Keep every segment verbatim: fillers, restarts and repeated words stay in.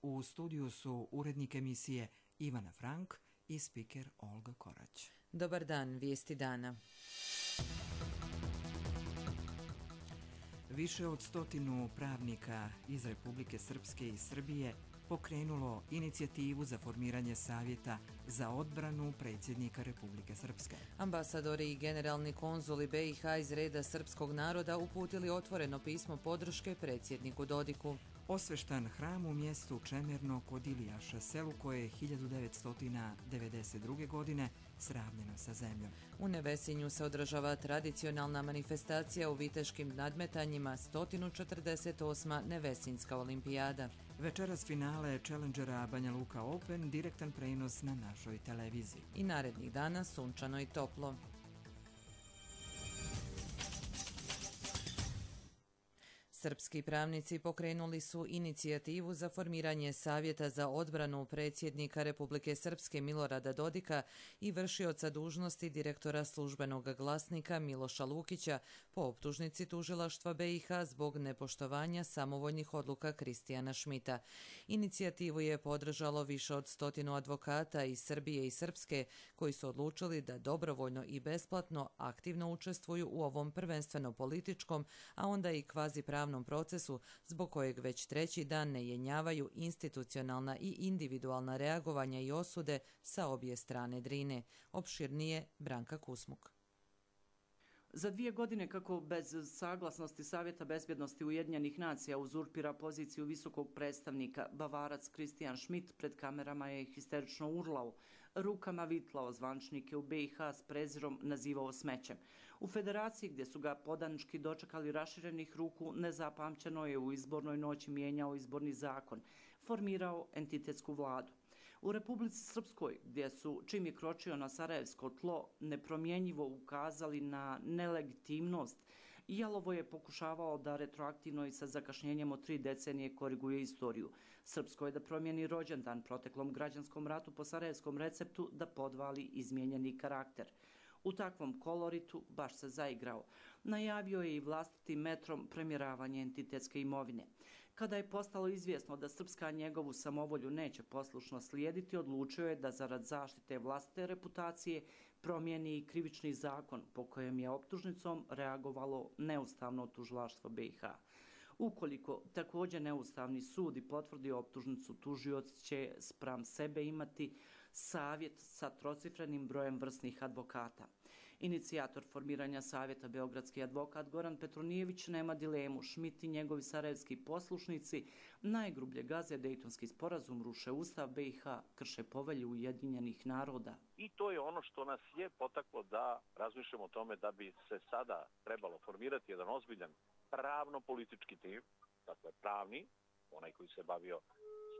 U studiju su urednik emisije Ivana Frank i spiker Olga Korać. Dobar dan, vijesti dana. Više od stotinu pravnika iz Republike Srpske i Srbije pokrenulo inicijativu za formiranje Savjeta za odbranu predsjednika Republike Srpske. Ambasadori i generalni konzuli B i H iz reda srpskog naroda uputili otvoreno pismo podrške predsjedniku Dodiku. Osveštan hram u mjestu Čemerno kod Ilijaša, selu koje je hiljadu devetsto devedeset druge. godine sravnjeno sa zemljom. U Nevesinju se održava tradicionalna manifestacija u viteškim nadmetanjima sto četrdeset osma Nevesinska olimpijada. Večeras finale Challengera Banja Luka Open, direktan prenos na našoj televiziji. I narednih dana sunčano i toplo. Srpski pravnici pokrenuli su inicijativu za formiranje Savjeta za odbranu predsjednika Republike Srpske Milorada Dodika i vršioca dužnosti direktora službenog glasnika Miloša Lukića po optužnici tužilaštva B i H zbog nepoštovanja samovoljnih odluka Kristijana Šmita. Inicijativu je podržalo više od stotinu advokata iz Srbije i Srpske koji su odlučili da dobrovoljno i besplatno aktivno učestvuju u ovom prvenstveno političkom, a onda i kvazi pravnom procesu zbog kojeg već treći dan ne jenjavaju institucionalna i individualna reagovanja i osude sa obje strane Drine. Opširnije Branka Kusmuk. Za dvije godine kako bez saglasnosti Savjeta bezbjednosti Ujedinjenih nacija uzurpira poziciju visokog predstavnika, Bavarac Kristijan Šmit pred kamerama je histerično urlao, rukama vitlao zvančnike u B i H s prezirom nazivao smećem. U federaciji gdje su ga podanički dočekali raširenih ruku, nezapamćeno je u izbornoj noći mijenjao izborni zakon, formirao entitetsku vladu. U Republici Srpskoj, gdje su, čim je kročio na sarajevsko tlo, nepromjenjivo ukazali na nelegitimnost, jalovo je pokušavao da retroaktivno i sa zakašnjenjem od tri decenije koriguje istoriju. Srpsko je da promijeni rođendan proteklom građanskom ratu po sarajevskom receptu da podvali izmijenjeni karakter. U takvom koloritu baš se zaigrao. Najavio je i vlastitim metrom premjeravanje entitetske imovine. Kada je postalo izvjesno da Srpska njegovu samovolju neće poslušno slijediti, odlučio je da zarad zaštite vlastite reputacije promijeni i krivični zakon po kojem je optužnicom reagovalo neustavno tužilaštvo B i H. Ukoliko također neustavni sud i potvrdi optužnicu, tužioc će spram sebe imati savjet sa trocifrenim brojem vrsnih advokata. Inicijator formiranja savjeta, beogradski advokat Goran Petronijević, nema dilemu. Šmit i njegovi sarajevski poslušnici najgrublje gaze Dejtonski sporazum, ruše Ustav B i H, krše povelju Ujedinjenih naroda. I to je ono što nas je potaklo da razmišljamo o tome da bi se sada trebalo formirati jedan ozbiljan pravno-politički tim, dakle pravni, onaj koji se bavio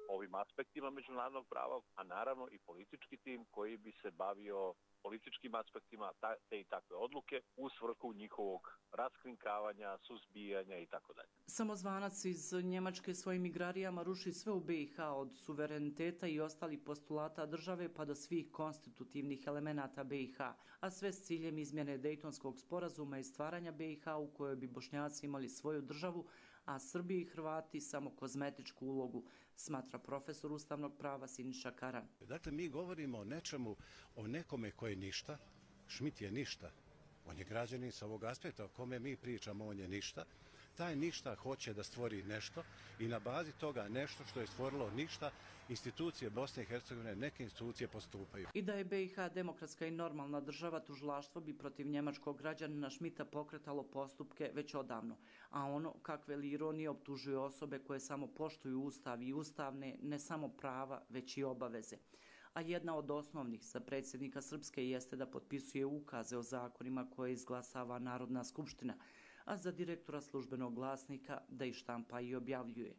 ovim aspektima međunarodnog prava, a naravno i politički tim koji bi se bavio političkim aspektima te i takve odluke u svrhu njihovog raskrinkavanja, suzbijanja i tako dalje. Samozvanac iz Njemačke svojim igrarijama ruši sve u B i H, od suvereniteta i ostalih postulata države pa do svih konstitutivnih elemenata B i H, a sve s ciljem izmjene Dejtonskog sporazuma i stvaranja B i H u kojoj bi Bošnjaci imali svoju državu, a Srbi i Hrvati samo kozmetičku ulogu, smatra profesor ustavnog prava Siniša Karan. Dakle, mi govorimo o nečemu, o nekome koji je ništa. Šmit je ništa. On je građanin sa ovog aspekta o kome mi pričamo, on je ništa. Taj ništa hoće da stvori nešto i na bazi toga nešto što je stvorilo ništa, institucije Bosne i Hercegovine, neke institucije postupaju. I da je B i H demokratska i normalna država, tužilaštvo bi protiv njemačkog građanina Šmita pokretalo postupke već odavno. A ono, kakve li ironije, optužuje osobe koje samo poštuju Ustav i ustavne, ne samo prava, već i obaveze. A jedna od osnovnih za predsjednika Srpske jeste da potpisuje ukaze o zakonima koje izglasava Narodna skupština, a za direktora službenog glasnika da ih štampa i objavljuje.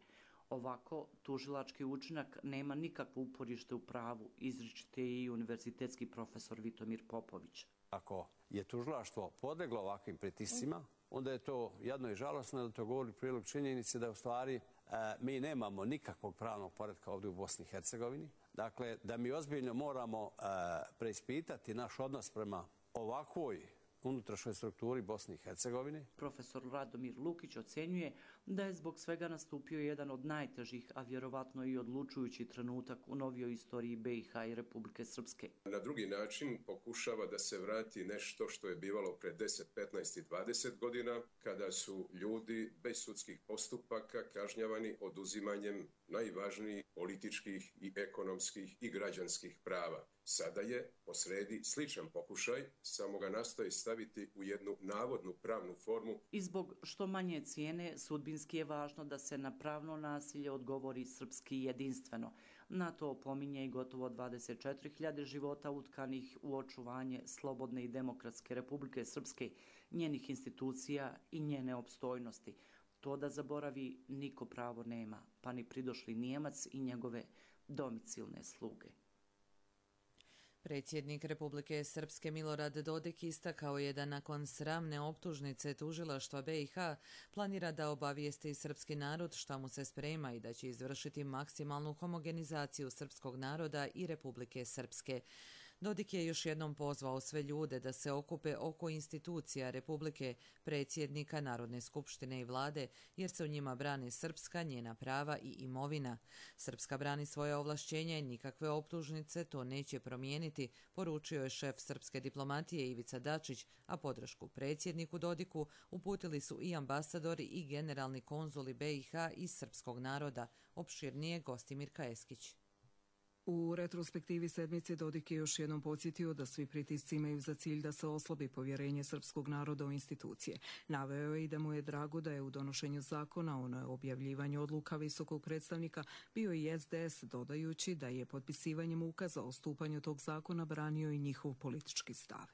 Ovako, tužilački učinak nema nikakvo uporište u pravu, izričite i univerzitetski profesor Vitomir Popović. Ako je tužilaštvo podleglo ovakvim pritiscima, onda je to jedno i žalosno, da to govori prilog činjenice da u stvari mi nemamo nikakvog pravnog poretka ovdje u Bosni i Hercegovini. Dakle, da mi ozbiljno moramo preispitati naš odnos prema ovakvoj unutrašnjoj strukturi Bosne i Hercegovine. Profesor Radomir Lukić ocjenjuje da je zbog svega nastupio jedan od najtežih, a vjerovatno i odlučujući trenutak u novijoj istoriji B i H i Republike Srpske. Na drugi način pokušava da se vrati nešto što je bivalo pre deset, petnaest i dvadeset godina, kada su ljudi bez sudskih postupaka kažnjavani oduzimanjem najvažnijih političkih i ekonomskih i građanskih prava. Sada je posredi sličan pokušaj, samo ga nastoji staviti u jednu navodnu pravnu formu. I zbog što manje cijene, sudbinski je važno da se na pravno nasilje odgovori srpski jedinstveno. Na to opominje i gotovo dvadeset četiri hiljade života utkanih u očuvanje slobodne i demokratske Republike Srpske, njenih institucija i njene opstojnosti. To da zaboravi niko pravo nema, pa ni pridošli Nijemac i njegove domicilne sluge. Predsjednik Republike Srpske Milorad Dodik istakao je da nakon sramne optužnice tužilaštva B i H planira da obavijesti srpski narod šta mu se sprema i da će izvršiti maksimalnu homogenizaciju srpskog naroda i Republike Srpske. Dodik je još jednom pozvao sve ljude da se okupe oko institucija Republike, predsjednika Narodne skupštine i vlade, jer se u njima brani Srpska, njena prava i imovina. Srpska brani svoje ovlašćenja i nikakve optužnice to neće promijeniti, poručio je šef srpske diplomatije Ivica Dačić, a podršku predsjedniku Dodiku uputili su i ambasadori i generalni konzuli B i H i srpskog naroda, opširnije Gostimir Kaeskić. U retrospektivi sedmice Dodik je još jednom podsjetio da svi pritisci imaju za cilj da se oslabi povjerenje srpskog naroda u institucije. Naveo je i da mu je drago da je u donošenju zakona o objavljivanju odluka visokog predstavnika bio i S D S, dodajući da je potpisivanjem ukaza o stupanju tog zakona branio i njihov politički stav.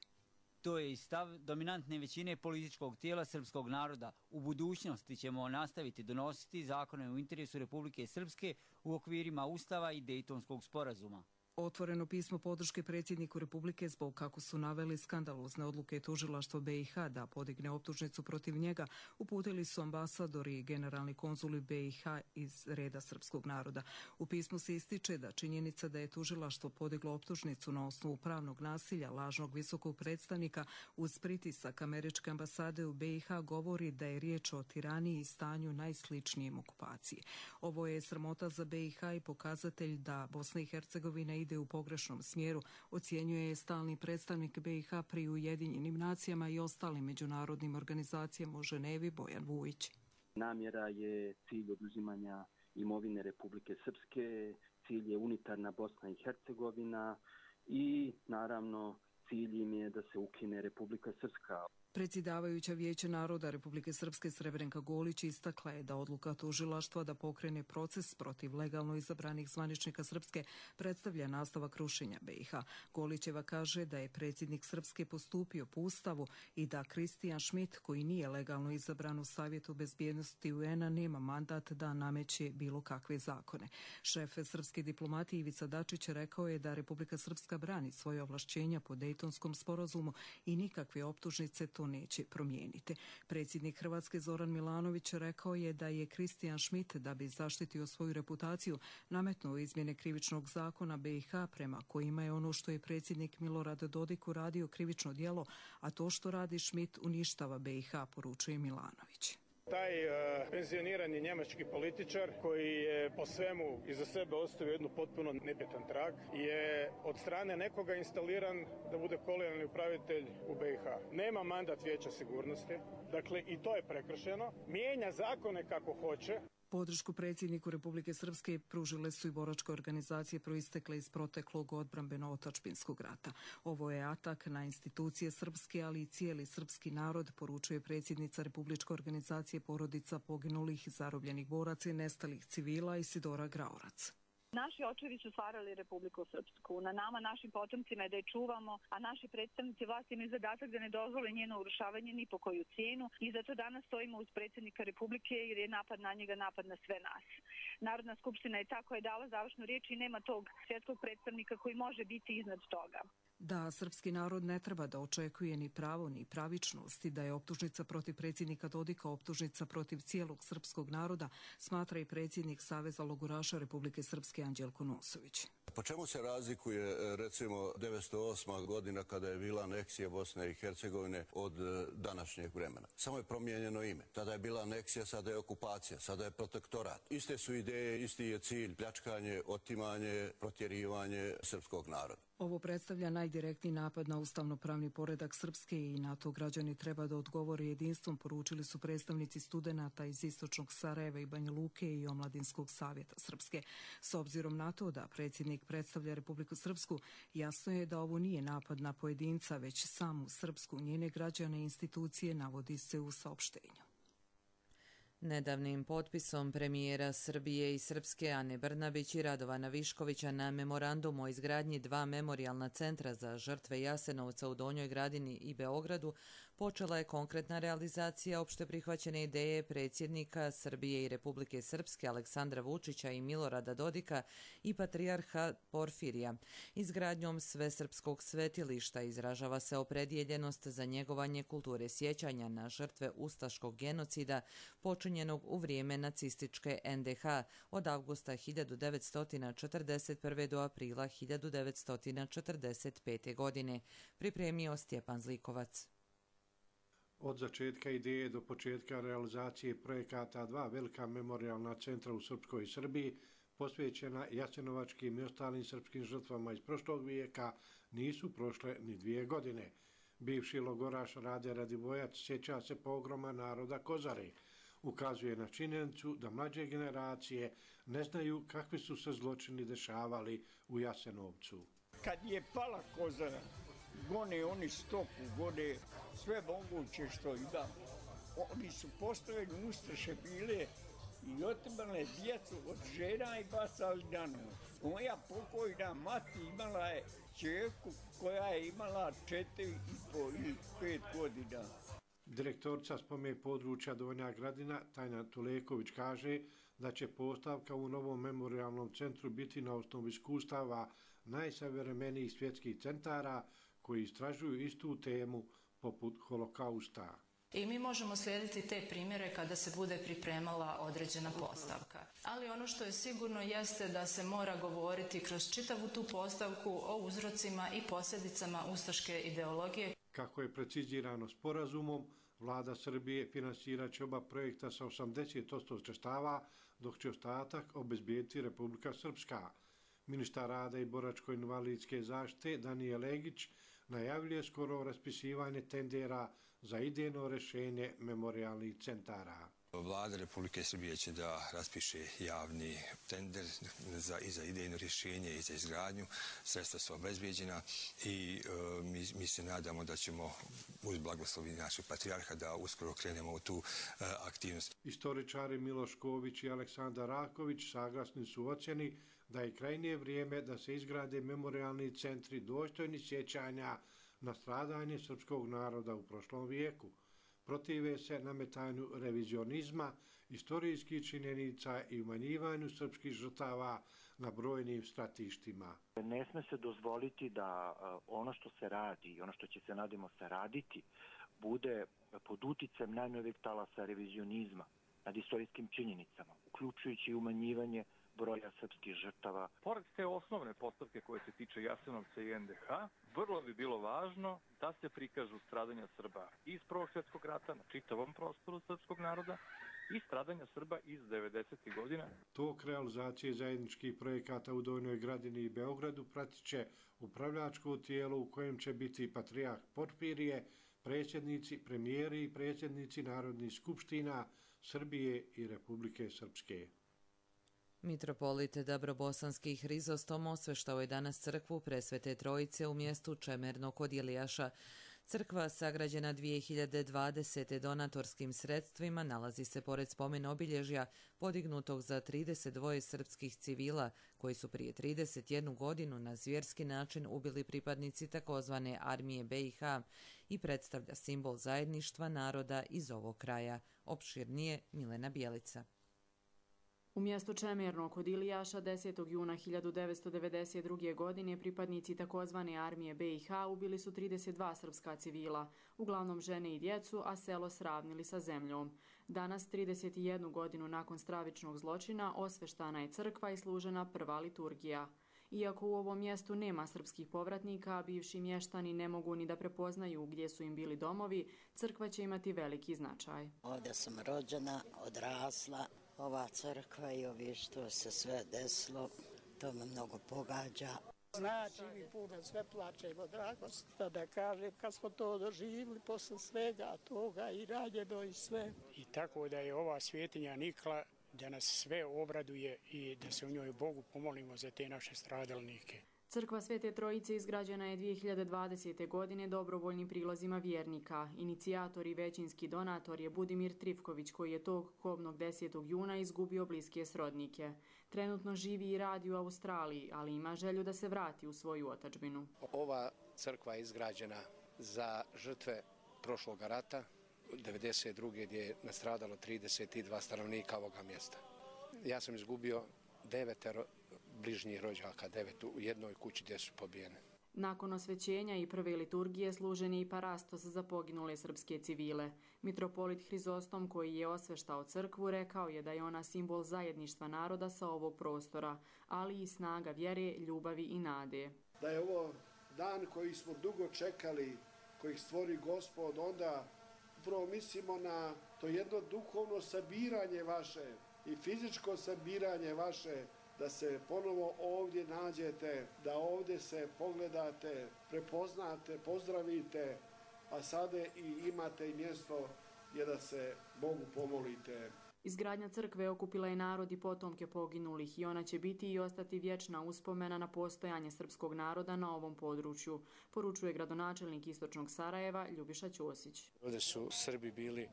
To je i stav dominantne većine političkog tijela srpskog naroda. U budućnosti ćemo nastaviti donositi zakone u interesu Republike Srpske u okvirima Ustava i Dejtonskog sporazuma. Otvoreno pismo podrške predsjedniku Republike zbog, kako su naveli, skandalozne odluke tužilaštva B i H da podigne optužnicu protiv njega uputili su ambasadori i generalni konzuli B i H iz reda srpskog naroda. U pismu se ističe da činjenica da je tužilaštvo podiglo optužnicu na osnovu pravnog nasilja lažnog visokog predstavnika uz pritisak američke ambasade u B i H govori da je riječ o tiraniji i stanju najsličnijem okupaciji. Ovo je sramota za B i H i pokazatelj da Bosna i Hercegovina ide u pogrešnom smjeru, ocjenjuje je stalni predstavnik B i H pri Ujedinjenim nacijama i ostalim međunarodnim organizacijama u Ženevi Bojan Vujić. Namjera je cilj oduzimanja imovine Republike Srpske, cilj je unitarna Bosna i Hercegovina i naravno cilj im je da se ukine Republika Srpska. Predsjedavajuća Vijeća naroda Republike Srpske Srebrenka Golić istakla je da odluka tužilaštva da pokrene proces protiv legalno izabranih zvaničnika Srpske predstavlja nastavak rušenja B i H. Golićeva kaže da je predsjednik Srpske postupio po Ustavu i da Kristijan Šmit, koji nije legalno izabran u Savjetu bezbjednosti U N-a, nema mandat da nameće bilo kakve zakone. Šef srpske diplomatije Ivica Dačić rekao je da Republika Srpska brani svoje ovlašćenja po Dejtonskom sporazumu i nikakve optužnice to neće promijeniti. Predsjednik Hrvatske Zoran Milanović rekao je da je Kristijan Šmit, da bi zaštitio svoju reputaciju, nametnuo izmjene krivičnog zakona B i H prema kojima je ono što je predsjednik Milorad Dodik uradio krivično djelo, a to što radi Šmit uništava B i H, poručuje Milanović. Taj uh, penzionirani njemački političar koji je po svemu iza sebe ostavio jednu potpuno nebitan trag je od strane nekoga instaliran da bude kolegijalni upravitelj u B i H. Nema mandat Vijeća sigurnosti, dakle i to je prekršeno. Mijenja zakone kako hoće. Podršku predsjedniku Republike Srpske pružile su i boračke organizacije proistekle iz proteklog odbrambeno-otačbinskog rata. Ovo je atak na institucije srpske, ali i cijeli srpski narod, poručuje predsjednica Republičke organizacije porodica poginulih, zarobljenih boraca i nestalih civila Isidora Graorac. Naši očevi su stvarali Republiku Srpsku. Na nama, našim potomcima je da je čuvamo, a naši predstavnici vlasti imaju zadatak da ne dozvole njeno urušavanje ni po koju cijenu i zato danas stojimo uz predsjednika Republike jer je napad na njega napad na sve nas. Narodna skupština je ta koja je dala završnu riječ i nema tog svjetskog predstavnika koji može biti iznad toga. Da srpski narod ne treba da očekuje ni pravo ni pravičnost i da je optužnica protiv predsjednika Dodika optužnica protiv cijelog srpskog naroda, smatra i predsjednik Saveza logoraša Republike Srpske Anđelko Nosović. Po čemu se razlikuje recimo devetsto osma godina kada je bila aneksija Bosne i Hercegovine od današnjeg vremena? Samo je promijenjeno ime. Tada je bila aneksija, sada je okupacija, sada je protektorat. Iste su ideje, isti je cilj, pljačkanje, otimanje, protjerivanje srpskog naroda. Ovo predstavlja najdirektniji napad na ustavno-pravni poredak Srpske i na to građani treba da odgovore jedinstvom, poručili su predstavnici studenata iz Istočnog Sarajeva i Banja Luke i Omladinskog savjeta Srpske. S obzirom na to da predsjednik predstavlja Republiku Srpsku, jasno je da ovo nije napad na pojedinca, već samu Srpsku, njene građane i institucije, navodi se u saopštenju. Nedavnim potpisom premijera Srbije i Srpske Ane Brnabić i Radovana Viškovića na memorandum o izgradnji dva memorijalna centra za žrtve Jasenovca u Donjoj Gradini i Beogradu počela je konkretna realizacija opšte prihvaćene ideje predsjednika Srbije i Republike Srpske Aleksandra Vučića i Milorada Dodika i patrijarha Porfirija. Izgradnjom svesrpskog svetilišta izražava se opredjeljenost za njegovanje kulture sjećanja na žrtve ustaškog genocida počinjenog u vrijeme nacističke en de ha od avgusta hiljadu devetsto četrdeset prve do aprila hiljadu devetsto četrdeset pete. godine, pripremio Stjepan Zlikovac. Od začetka ideje do početka realizacije projekata dva velika memorijalna centra u Srpskoj Srbiji, posvećena jasenovačkim i ostalim srpskim žrtvama iz prošlog vijeka, nisu prošle ni dvije godine. Bivši logoraš Rade Radivojac sjeća se pogroma naroda Kozare. Ukazuje na činjenicu da mlađe generacije ne znaju kakvi su se zločini dešavali u Jasenovcu. Kad je pala Kozara, gone oni stoku, gone sve moguće što ima. Oni su postavljeni ustaše bile i otimale djecu od žena i bacali na nož. Moja pokojna mati imala je čerku koja je imala četiri i po ili pet godina. Direktorica spome područja Donja Gradina, Tajna Tuleković, kaže da će postavka u novom memorijalnom centru biti na osnovu iskustava najsavremenijih svjetskih centara koji istražuju istu temu poput holokausta. I mi možemo slijediti te primjere kada se bude pripremala određena postavka. Ali ono što je sigurno jeste da se mora govoriti kroz čitavu tu postavku o uzrocima i posljedicama ustaške ideologije. Kako je precizirano sporazumom, Vlada Srbije finansirat će oba projekta sa osamdeset posto sredstava, dok će ostatak obezbijediti Republika Srpska. Ministar rada i boračko-invalidske zaštite Danijel Legić najavljuje skoro raspisivanje tendera za idejno rješenje memorijalnih centara. Vlada Republike Srbije će da raspiše javni tender za, i za idejno rješenje i za izgradnju. Sredstva su obezbijeđena i e, mi, mi se nadamo da ćemo uz blagoslovi našeg patrijarha da uskoro krenemo u tu e, aktivnost. Istoričari Miloš Ković i Aleksandar Raković saglasni su ocjeni da je krajnje vrijeme da se izgrade memorijalni centri dostojni sjećanja na stradanje srpskog naroda u prošlom vijeku. Protive se nametanju revizionizma, istorijskih činjenica i umanjivanju srpskih žrtava na brojnim stratištima. Ne sme se dozvoliti da ono što se radi i ono što će se, nadimo se, raditi bude pod uticajem najnovijeg talasa revizionizma nad istorijskim činjenicama, uključujući i umanjivanje broja srpskih žrtava. Pored te osnovne postavke koje se tiče Jasenovca i en de ha, vrlo bi bilo važno da se prikažu stradanja Srba iz Prvog svjetskog rata na čitavom prostoru srpskog naroda i stradanja Srba iz devedesetih godina. Tok realizacije zajedničkih projekata u Donjoj Gradini i Beogradu pratit će upravljačko tijelo u kojem će biti patrijarh Porfirije, predsjednici, premijeri i predsjednici narodnih skupština Srbije i Republike Srpske. Mitropolit Dabrobosanski Hrizostom osveštao je danas crkvu Presvete Trojice u mjestu Čemerno kod Ilijaša. Crkva, sagrađena dvije hiljade dvadesete. donatorskim sredstvima, nalazi se pored spomen obilježja podignutog za trideset dva srpskih civila koji su prije trideset jednu godinu na zvjerski način ubili pripadnici takozvane armije be i ha i predstavlja simbol zajedništva naroda iz ovog kraja. Opširnije Milena Bjelica. U mjestu Čemerno kod Ilijaša desetog juna hiljadu devetsto devedeset druge. godine pripadnici takozvane armije be i ha ubili su trideset dva srpska civila, uglavnom žene i djecu, a selo sravnili sa zemljom. Danas, trideset jednu godinu nakon stravičnog zločina, osveštana je crkva i služena prva liturgija. Iako u ovom mjestu nema srpskih povratnika, bivši mještani ne mogu ni da prepoznaju gdje su im bili domovi, crkva će imati veliki značaj. Ovdje sam rođena, odrasla, ova crkva i ovi što se sve desilo, to me mnogo pogađa. Znači mi puno, sve plačemo, drago što da kažem, kad smo to doživjeli posle svega toga i ranjeno i sve. I tako da je ova svjetinja nikla, da nas sve obraduje i da se u njoj Bogu pomolimo za te naše stradalnike. Crkva Svete Trojice izgrađena je dvije hiljade dvadesete. godine dobrovoljnim prilozima vjernika. Inicijator i većinski donator je Budimir Trifković, koji je tog kobnog desetog juna izgubio bliske srodnike. Trenutno živi i radi u Australiji, ali ima želju da se vrati u svoju otadžbinu. Ova crkva je izgrađena za žrtve prošlog rata, devedeset druge. gdje je nastradalo trideset dva stanovnika ovoga mjesta. Ja sam izgubio devetero bližnjih rođaka, devet u jednoj kući gdje su pobijene. Nakon osvećenja i prve liturgije služen je i parastos za poginule srpske civile. Mitropolit Hrizostom, koji je osveštao crkvu, rekao je da je ona simbol zajedništva naroda sa ovog prostora, ali i snaga vjere, ljubavi i nade. Da je ovo dan koji smo dugo čekali, koji stvori Gospod, onda upravo mislimo na to jedno duhovno sabiranje vaše i fizičko sabiranje vaše, da se ponovo ovdje nađete, da ovdje se pogledate, prepoznate, pozdravite, a sada i imate i mjesto gdje da se Bogu pomolite. Izgradnja crkve okupila je narod i potomke poginulih i ona će biti i ostati vječna uspomena na postojanje srpskog naroda na ovom području, poručuje gradonačelnik Istočnog Sarajeva Ljubiša Ćosić. Ovdje su Srbi bili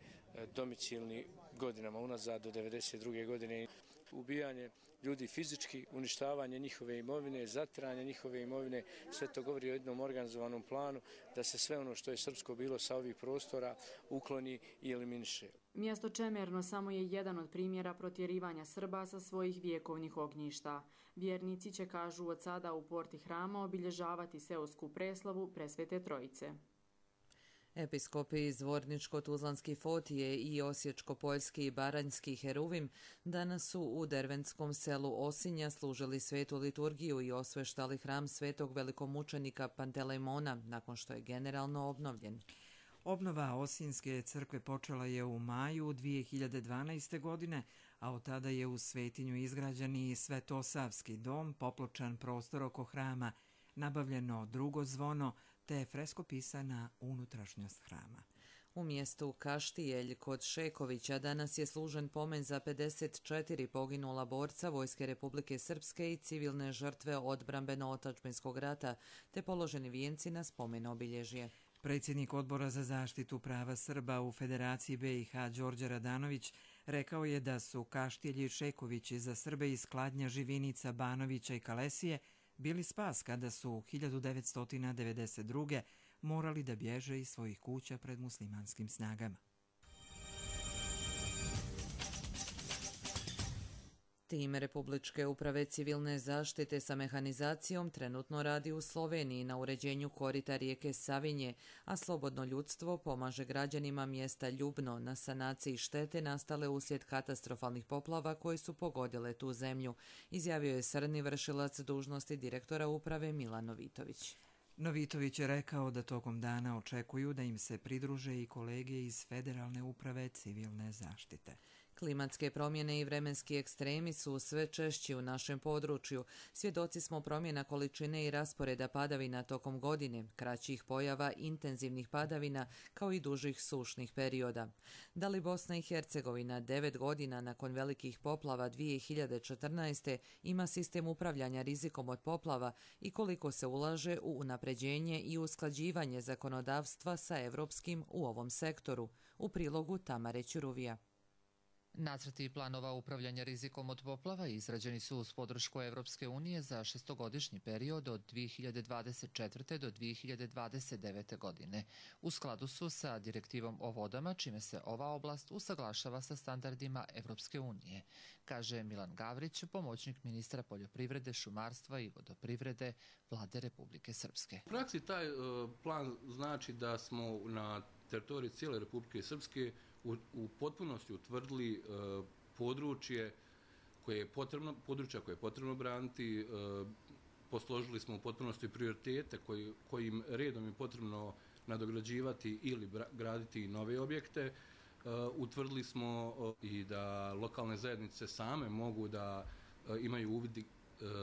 domicilni godinama unazad do devedeset druge. godine. Ubijanje ljudi fizički, uništavanje njihove imovine, zatiranje njihove imovine, sve to govori o jednom organizovanom planu da se sve ono što je srpsko bilo sa ovih prostora ukloni i eliminiše. Mjesto Čemerno samo je jedan od primjera protjerivanja Srba sa svojih vjekovnih ognjišta. Vjernici će, kažu, od sada u porti hrama obilježavati seosku preslavu Presvete Trojice. Episkopi iz Zvorničko-Tuzlanski Fotije i Osječko-Poljski i Baranjski Heruvim danas su u derventskom selu Osinja služili svetu liturgiju i osveštali hram svetog velikomučenika Pantelejmona nakon što je generalno obnovljen. Obnova Osinjske crkve počela je u maju dvije hiljade dvanaeste. godine, a od tada je u svetinju izgrađen i Svetosavski dom, popločan prostor oko hrama, nabavljeno drugo zvono, te freskopisana unutrašnjost hrama. U mjestu Kaštijelj kod Šekovića danas je služen pomen za pedeset četiri poginula borca Vojske Republike Srpske i civilne žrtve odbrambeno-otadžbinskog rata, te položeni vijenci na spomen obilježje. Predsjednik Odbora za zaštitu prava Srba u Federaciji B i H Đorđe Radanović rekao je da su Kaštijelj i Šekovići za Srbe iz Kladnja, Živinica, Banovića i Kalesije bili spas kada su hiljadu devetsto devedeset druge. morali da bježe iz svojih kuća pred muslimanskim snagama. Tim Republičke uprave civilne zaštite sa mehanizacijom trenutno radi u Sloveniji na uređenju korita rijeke Savinje, a Slobodno ljudstvo pomaže građanima mjesta Ljubno na sanaciji štete nastale uslijed katastrofalnih poplava koje su pogodile tu zemlju, izjavio je srni vršilac dužnosti direktora uprave Milan Novitović. Novitović je rekao da tokom dana očekuju da im se pridruže i kolege iz Federalne uprave civilne zaštite. Klimatske promjene i vremenski ekstremi su sve češći u našem području. Svjedoci smo promjena količine i rasporeda padavina tokom godine, kraćih pojava intenzivnih padavina kao i dužih sušnih perioda. Da li Bosna i Hercegovina devet godina nakon velikih poplava dvije hiljade četrnaeste. ima sistem upravljanja rizikom od poplava i koliko se ulaže u unapređenje i usklađivanje zakonodavstva sa evropskim u ovom sektoru? U prilogu Tamare Ćuruvija. Nacrti planova upravljanja rizikom od poplava izrađeni su uz podršku Evropske unije za šestogodišnji period od dvije hiljade dvadeset četvrte. do dvije hiljade dvadeset devete. godine. U skladu su sa direktivom o vodama, čime se ova oblast usaglašava sa standardima Evropske unije, kaže Milan Gavrić, pomoćnik ministra poljoprivrede, šumarstva i vodoprivrede Vlade Republike Srpske. U praksi taj uh, plan znači da smo na teritoriji cijele Republike Srpske U, u potpunosti utvrdili e, područje koje je potrebno, područja koje je potrebno braniti, e, posložili smo u potpunosti prioritete koji, kojim redom je potrebno nadograđivati ili graditi nove objekte. Utvrdili smo i da lokalne zajednice same mogu da imaju uvid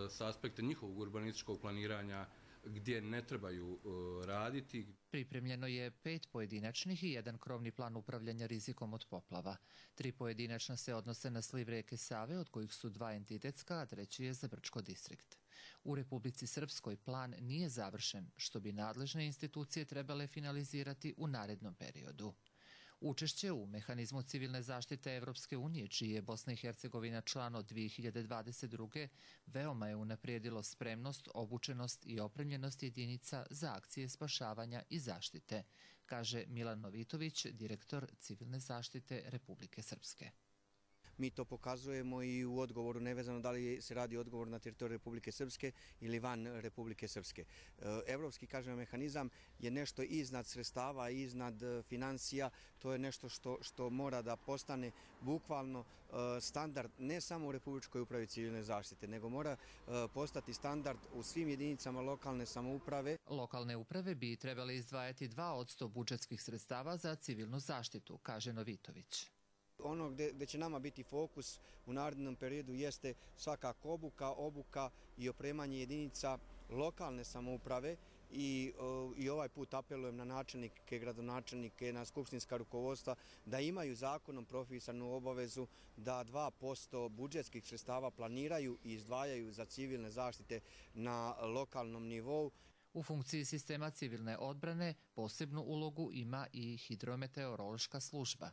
s aspekta njihovog urbanističkog planiranja gdje ne trebaju raditi. Pripremljeno je pet pojedinačnih i jedan krovni plan upravljanja rizikom od poplava. Tri pojedinačna se odnose na sliv reke Save, od kojih su dva entitetska, a treći je za Brčko distrikt. U Republici Srpskoj plan nije završen, što bi nadležne institucije trebale finalizirati u narednom periodu. Učešće u mehanizmu civilne zaštite Evropske unije, čiji je Bosna i Hercegovina član od dvije hiljade dvadeset druge. veoma je unaprijedilo spremnost, obučenost i opremljenost jedinica za akcije spašavanja i zaštite, kaže Milan Novitović, direktor civilne zaštite Republike Srpske. Mi to pokazujemo i u odgovoru, nevezano da li se radi odgovor na teritoriju Republike Srpske ili van Republike Srpske. Evropski, kažem, mehanizam je nešto iznad sredstava, iznad financija, to je nešto što, što mora da postane bukvalno standard ne samo u Republičkoj upravi civilne zaštite, nego mora postati standard u svim jedinicama lokalne samouprave. Lokalne uprave bi trebale izdvajati dva posto budžetskih sredstava za civilnu zaštitu, kaže Novitović. Ono gde, gde će nama biti fokus u narednom periodu jeste svakako obuka, obuka i opremanje jedinica lokalne samouprave i, i ovaj put apelujem na načelnike, gradonačelnike, na skupštinska rukovodstva da imaju zakonom propisanu obavezu da dva posto budžetskih sredstava planiraju i izdvajaju za civilne zaštite na lokalnom nivou. U funkciji sistema civilne odbrane posebnu ulogu ima i hidrometeorološka služba,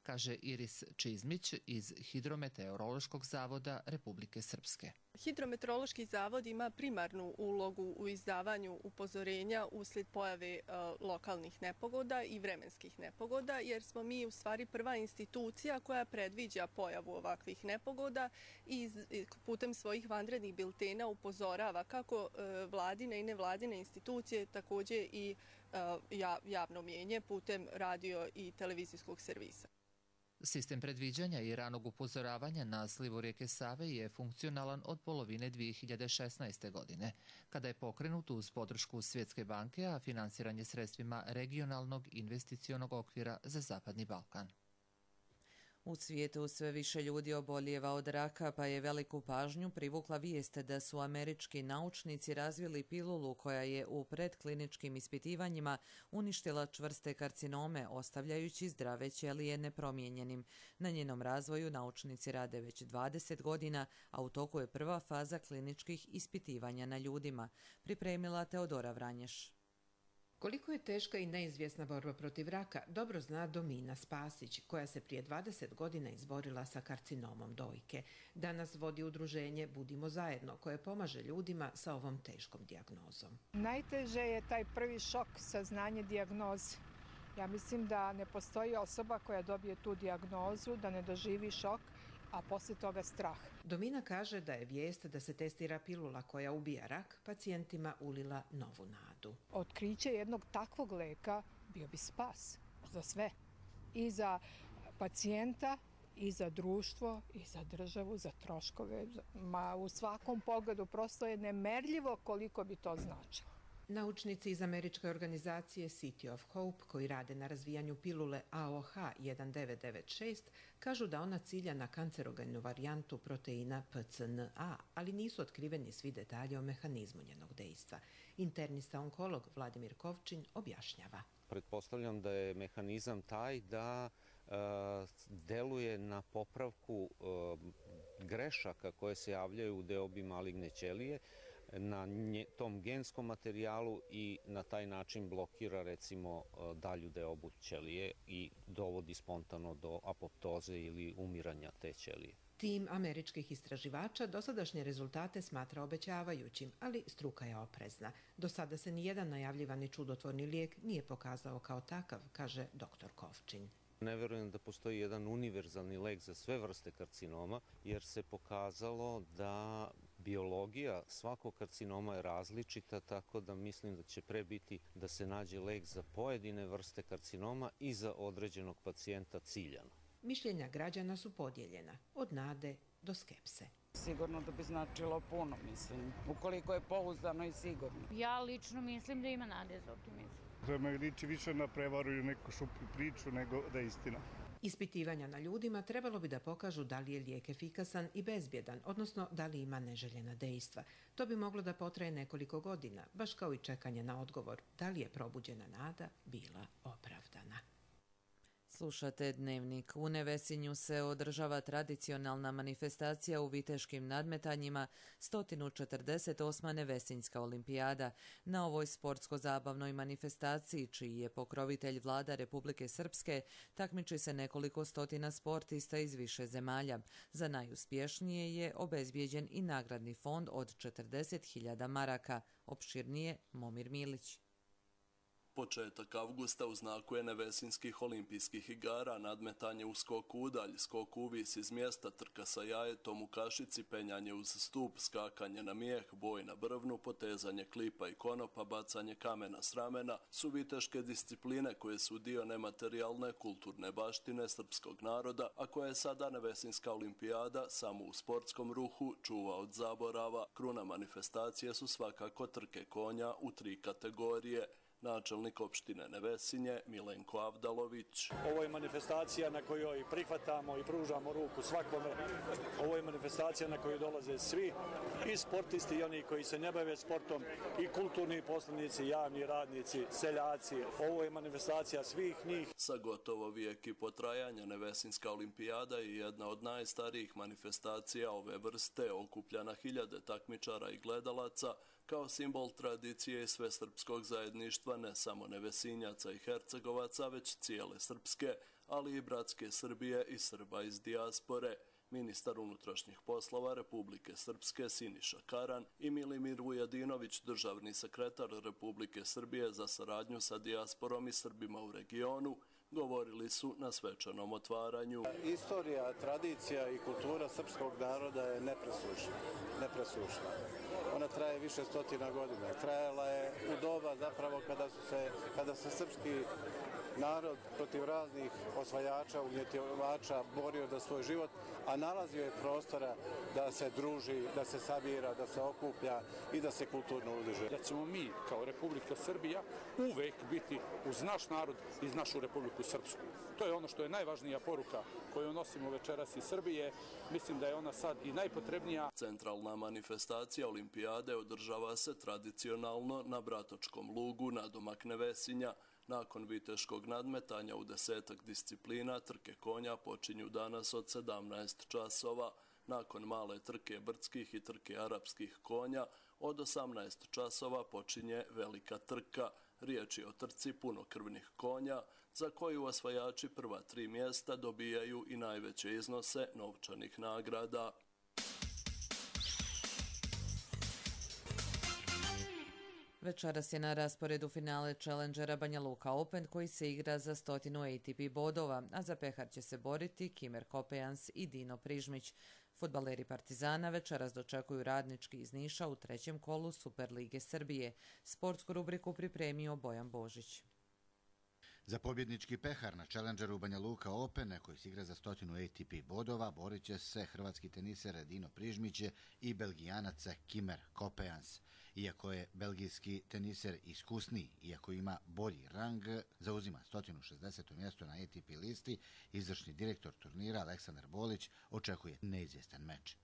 kaže Iris Čizmić iz Hidrometeorološkog zavoda Republike Srpske. Hidrometeorološki zavod ima primarnu ulogu u izdavanju upozorenja uslijed pojave lokalnih nepogoda i vremenskih nepogoda, jer smo mi u stvari prva institucija koja predviđa pojavu ovakvih nepogoda i putem svojih vanrednih biltena upozorava kako vladine i nevladine institucije, također i javno mnijenje putem radio i televizijskog servisa. Sistem predviđanja i ranog upozoravanja na slivu rijeke Save je funkcionalan od polovine dvije hiljade šesnaeste. godine, kada je pokrenut uz podršku Svjetske banke, a finansiranje sredstvima regionalnog investicionog okvira za Zapadni Balkan. U svijetu sve više ljudi obolijeva od raka, pa je veliku pažnju privukla vijest da su američki naučnici razvili pilulu koja je u predkliničkim ispitivanjima uništila čvrste karcinome, ostavljajući zdrave ćelije nepromijenjenim. Na njenom razvoju naučnici rade već dvadeset godina, a u toku je prva faza kliničkih ispitivanja na ljudima, pripremila Teodora Vranješ. Koliko je teška i neizvjesna borba protiv raka, dobro zna Domina Spasić, koja se prije dvadeset godina izborila sa karcinomom dojke. Danas vodi udruženje Budimo zajedno, koje pomaže ljudima sa ovom teškom dijagnozom. Najteže je taj prvi šok, saznanje dijagnoze. Ja mislim da ne postoji osoba koja dobije tu dijagnozu, da ne doživi šok, a poslije toga strah. Domina kaže da je vijest da se testira pilula koja ubija rak pacijentima ulila novu nadu. Otkriće jednog takvog leka bio bi spas za sve. I za pacijenta, i za društvo, i za državu, za troškove. Ma u svakom pogledu prosto je nemerljivo koliko bi to značilo. Naučnici iz američke organizacije City of Hope, koji rade na razvijanju pilule A O H jedan devet devet šest, kažu da ona cilja na kancerogenu varijantu proteina P C N A, ali nisu otkriveni svi detalji o mehanizmu njenog dejstva. Internista onkolog Vladimir Kovčin objašnjava. Pretpostavljam da je mehanizam taj da e, deluje na popravku e, grešaka koje se javljaju u deobi maligne ćelije, na nje, tom genskom materijalu i na taj način blokira recimo dalju deobu ćelije i dovodi spontano do apoptoze ili umiranja te ćelije. Tim američkih istraživača dosadašnje rezultate smatra obećavajućim, ali struka je oprezna. Do sada se nijedan najavljivani čudotvorni lijek nije pokazao kao takav, kaže doktor Kovčin. Ne verujem da postoji jedan univerzalni lek za sve vrste karcinoma, jer se pokazalo da biologija svakog karcinoma je različita, tako da mislim da će pre biti da se nađe lek za pojedine vrste karcinoma i za određenog pacijenta ciljano. Mišljenja građana su podijeljena, od nade do skepse. Sigurno da bi značilo puno, mislim, ukoliko je pouzdano i sigurno. Ja lično mislim da ima nade za optimizam. To me liči više na prevaru ili neku šuplju priču nego da je istina. Ispitivanja na ljudima trebalo bi da pokažu da li je lijek efikasan i bezbjedan, odnosno da li ima neželjena dejstva. To bi moglo da potraje nekoliko godina, baš kao i čekanje na odgovor da li je probuđena nada bila opravdana. Slušate Dnevnik. U Nevesinju se održava tradicionalna manifestacija u viteškim nadmetanjima sto četrdeset osma Nevesinjska olimpijada. Na ovoj sportsko-zabavnoj manifestaciji, čiji je pokrovitelj vlada Republike Srpske, takmiči se nekoliko stotina sportista iz više zemalja. Za najuspješnije je obezbijeđen i nagradni fond od četrdeset hiljada maraka. Opširnije Momir Milić. Početak avgusta u znaku je Nevesinjskih olimpijskih igara, nadmetanje u skoku udalj, skok uvis iz mjesta, trka sa jajetom u kašici, penjanje uz stup, skakanje na mijeh, boj na brvnu, potezanje klipa i konopa, bacanje kamena s ramena su viteške discipline koje su dio nematerijalne kulturne baštine srpskog naroda, a koja je sada Nevesinjska olimpijada samo u sportskom ruhu čuva od zaborava. Kruna manifestacije su svakako trke konja u tri kategorije. Načelnik opštine Nevesinje Milenko Avdalović. Ovo je manifestacija na kojoj prihvatamo i pružamo ruku svakome. Ovo je manifestacija na koju dolaze svi, i sportisti i oni koji se ne bave sportom, i kulturni poslanici, javni radnici, seljaci. Ovo je manifestacija svih njih. Sa gotovo vijek i potrajanja Nevesinjska olimpijada je jedna od najstarijih manifestacija ove vrste, okuplja na hiljade takmičara i gledalaca, kao simbol tradicije i svesrpskog zajedništva ne samo Nevesinjaca i Hercegovaca, već cijele srpske, ali i bratske Srbije i Srba iz dijaspore. Ministar unutrašnjih poslova Republike Srpske Siniša Karan i Milimir Vujadinović, državni sekretar Republike Srbije za saradnju sa dijasporom i Srbima u regionu, govorili su na svečanom otvaranju. Istorija, tradicija i kultura srpskog naroda je nepresušna. nepresušna. Ona traje više stotina godina. Trajala je u doba zapravo kada su se, kada se srpski narod protiv raznih osvajača, ugnjetivača borio za svoj život, a nalazio je prostora da se druži, da se sabira, da se okuplja i da se kulturno udruži. Da ćemo mi kao Republika Srbija uvek biti uz naš narod i našu Republiku Srpsku. To je ono što je najvažnija poruka koju nosimo večeras iz Srbije. Mislim da je ona sad i najpotrebnija. Centralna manifestacija olimpijade održava se tradicionalno na Bratočkom lugu nadomak Nevesinja. Nakon viteškog nadmetanja u desetak disciplina, trke konja počinju danas od sedamnaest časova. Nakon male trke brdskih i trke arapskih konja, od osamnaest časova počinje velika trka. Riječ je o trci punokrvnih konja, za koju osvajači prva tri mjesta dobijaju i najveće iznose novčanih nagrada. Večeras je na rasporedu finale Challengera Banja Luka Open koji se igra za stotinu A T P bodova, a za pehar će se boriti Kimer Kopejans i Dino Prižmić. Fudbaleri Partizana večeras dočekuju Radnički iz Niša u trećem kolu Superlige Srbije. Sportsku rubriku pripremio Bojan Božić. Za pobjednički pehar na Challengeru Banja Luka Open, koji se igra za stotinu A T P bodova, borit će se hrvatski teniser Dino Prižmić i Belgijanac Kimer Kopejans. Iako je belgijski teniser iskusniji, iako ima bolji rang, zauzima sto šezdeseto mjesto na A T P listi, izvršni direktor turnira Aleksandar Bolić očekuje neizvjestan meč.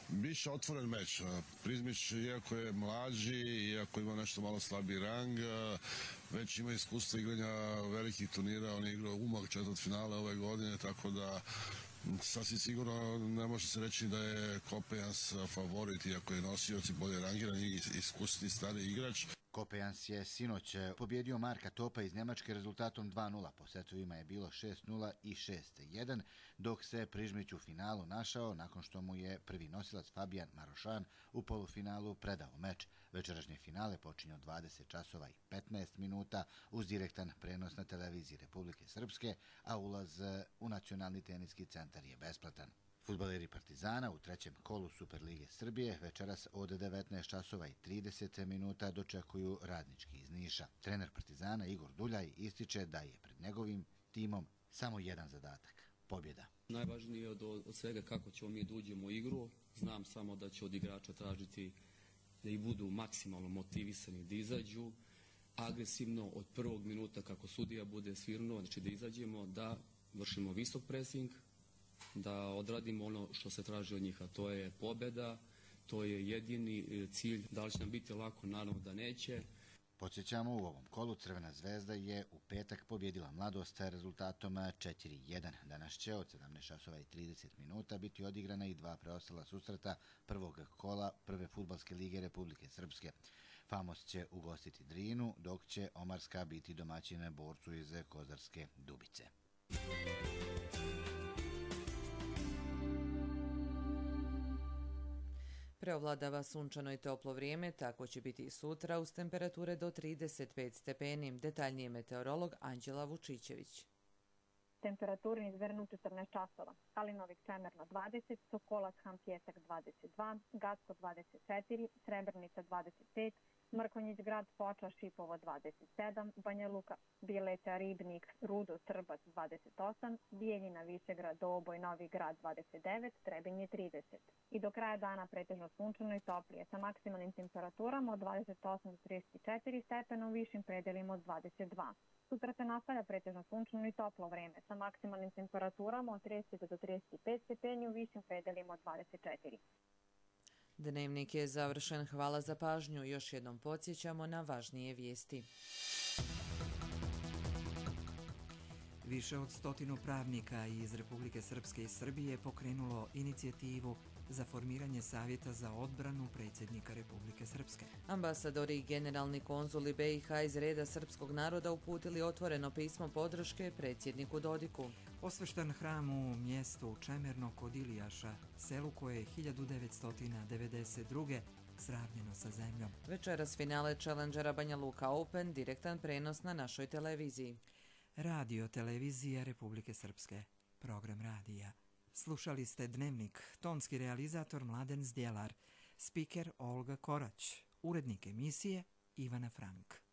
Biće otvoren meč. Prižmić, iako je mlađi, iako ima nešto malo slabiji rang, već ima iskustvo igranja velikih turnira. On je igrao umak četvrt finale ove godine, tako da sasvim sigurno ne može se reći da je Kopejans favorit, iako je nosioc i bolje rangiran i iskusni stari igrač. Kopejans je sinoć pobjedio Marka Topa iz Njemačke rezultatom dva nula. Po setovima je bilo šest nula i šest jedan, dok se Prižmić u finalu našao nakon što mu je prvi nosilac Fabijan Marošan u polufinalu predao meč. Večerašnje finale počinje od dvadeset časova i petnaest minuta uz direktan prenos na televiziji Republike Srpske, a ulaz u Nacionalni teniski centar je besplatan. Fudbaleri Partizana u trećem kolu Superlige Srbije večeras od devetnaest časova i trideset minuta dočekuju Radnički iz Niša. Trener Partizana Igor Duljaj ističe da je pred njegovim timom samo jedan zadatak – pobjeda. Najvažnije od, od svega kako ćemo mi da uđemo u igru, Znam samo da će od igrača tražiti da i budu maksimalno motivisani, da izađu agresivno od prvog minuta kako sudija bude svirnuo, znači da izađemo, da vršimo visok presing, da odradimo ono što se traži od njih, a to je pobjeda, to je jedini cilj. Da li će nam biti lako? Naravno da neće. Podsjećamo, u ovom kolu Crvena zvezda je u petak pobjedila Mladost rezultatom četiri jedan. Danas će od sedamnaest časova i trideset minuta biti odigrana i dva preostala susreta prvog kola Prve fudbalske lige Republike Srpske. Famos će ugostiti Drinu, dok će Omarska biti domaćina Borcu iz Kozarske Dubice. Preovladava sunčano i toplo vrijeme, tako će biti i sutra uz temperature do trideset pet stepeni. Detaljnije meteorolog Anđela Vučićević. Temperaturi izvernu četrnaest časova. Kalinovik Čemerno dvadeset, Sokolac Han Pjesak dvadeset dva, Gacko dvadeset četiri, Srebrnica dvadeset pet, Mrkonjić Grad, Foča, Šipovo dvadeset sedam, Banja Luka, Bileća, Ribnik, Rudo, Trbac dvadeset osam, Bijeljina, Višegrad, Doboj, Novi Grad dvadeset devet, Trebinje trideset. I do kraja dana pretežno sunčano i toplije sa maksimalnim temperaturama od dvadeset osam do trideset četiri stepena, u višim predelima od dvadeset dva. Sutra se nastavlja pretežno sunčano i toplo vreme sa maksimalnim temperaturama od trideset do trideset pet stepeni, u višim predelima od dvadeset četiri. Dnevnik je završen. Hvala za pažnju. Još jednom podsjećamo na važnije vijesti. Više od stotinu pravnika iz Republike Srpske i Srbije pokrenulo inicijativu za formiranje Savjeta za odbranu predsjednika Republike Srpske. Ambasadori i generalni konzuli B i H iz reda srpskog naroda uputili otvoreno pismo podrške predsjedniku Dodiku. Osveštan hram u mjestu Čemerno kod Ilijaša, selu koje je hiljadu devetsto devedeset druge sravnjeno sa zemljom. Večeras finale Challengera Banja Luka Open, direktan prenos na našoj televiziji. Radio televizija Republike Srpske, program radija. Slušali ste Dnevnik, tonski realizator Mladen Zdjelar, spiker Olga Korać, urednik emisije Ivana Frank.